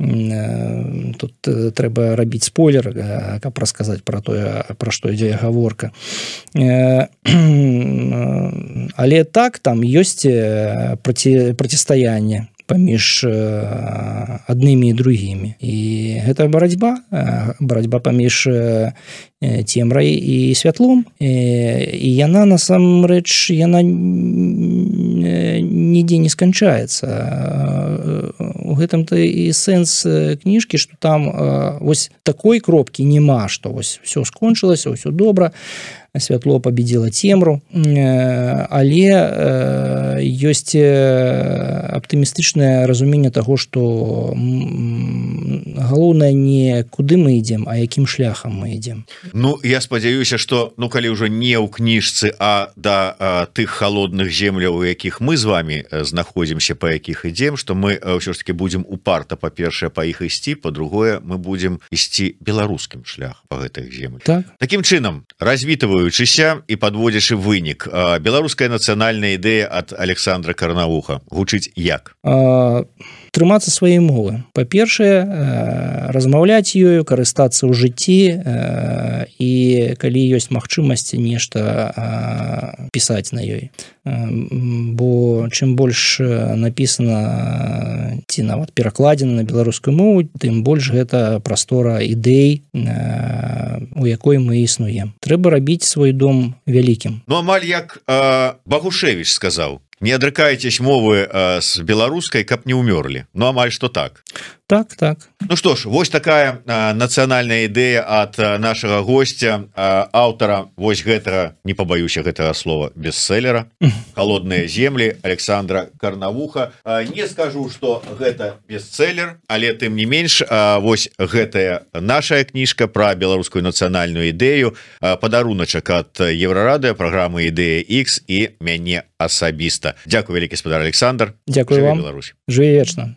э, тут трэба рабіць спойлер, э, каб расказаць пра тое, пра што ідзе гаворка. Э, але так, там ёсць праці, процістаянне паміж аднымі і другімі. І гэта барацьба, барацьба паміж цемрай і святлом. І яна, насамрэч, яна нідзе не сканчаецца. У гэтым-то і сэнс кніжкі, што там вось такой кропкі няма, што вось все скончылася, ўсё добра, святло победила цемру, але ёсць аптымістычнае разуменне таго, што галоўнае не куды мы ідзем, а якім шляхам мы ідзем. Ну, я спадзяюся, што, ну, калі ўжо не ў кніжцы, а да а, тых холодных земляў, у якіх мы з вами знаходзімся, па якіх ідзем, што мы ўсё ж таки будзем упарта, па-першае, па іх ісці, па-другое, мы будзем ісці беларускім шляхам па гэтых землях. Так. Такім чынам, развітваючыся і падводзячы вынік, беларуская нацыянальная ідэя ад Александра Карнавуха гучыць як? А... трымацца сваёй мовы. Па-першае, размаўляць ёю, карыстацца ў жыцці, і калі ёсць магчымасць нешта пісаць на ёй. Бо чым больш напісана ці нават перакладзена на беларускую мову, тым больш гэта прастора ідэй, у якой мы існуем. Трэба рабіць свой дом вялікім. Ну амаль як э, Багушевіч сказаў: не адрыкайцесь мовы э, з беларускай, каб не ўмёрлі. Ну амаль што так. Так, так. Ну што ж, вось такая э, нацыянальная ідэя ад э, нашага госця, э, аўтара вось гэтага, не пабаюся гэтага слова, бестселлера «Холодныя землі» Александра Карнавуха. Э, не скажу, што гэта бестселлер, але тым не менш, э, вось гэтая наша кніжка пра беларускую нацыянальную ідэю, э, падаруначак ад Еўрарадыё, праграмы «Ідэя Х» і мяне асабіста. Дзякуй вялікі, спадар Александр. Дзякуй вам. Жыві вечна.